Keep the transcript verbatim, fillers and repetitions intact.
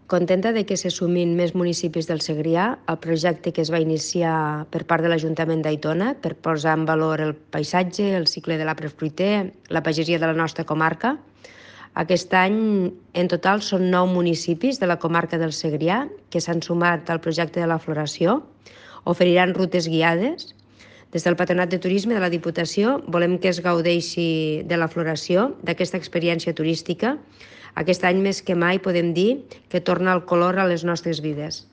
Contenta de que se sumin més municipis del Segrià al projecte que es va iniciar per part de l'Ajuntament d'Aitona per posar en valor el paisatge, el cicle de l'arbre fruiter, la pagesia de la nostra comarca. Aquest any, en total, són nou municipis de la comarca del Segrià que s'han sumat al projecte de la floració. Oferiran rutes guiades. Des del Patronat de Turisme de la Diputació volem que es gaudeixi de la floració, d'aquesta experiència turística. Aquest any més que mai podem dir que torna el color a les nostres vides.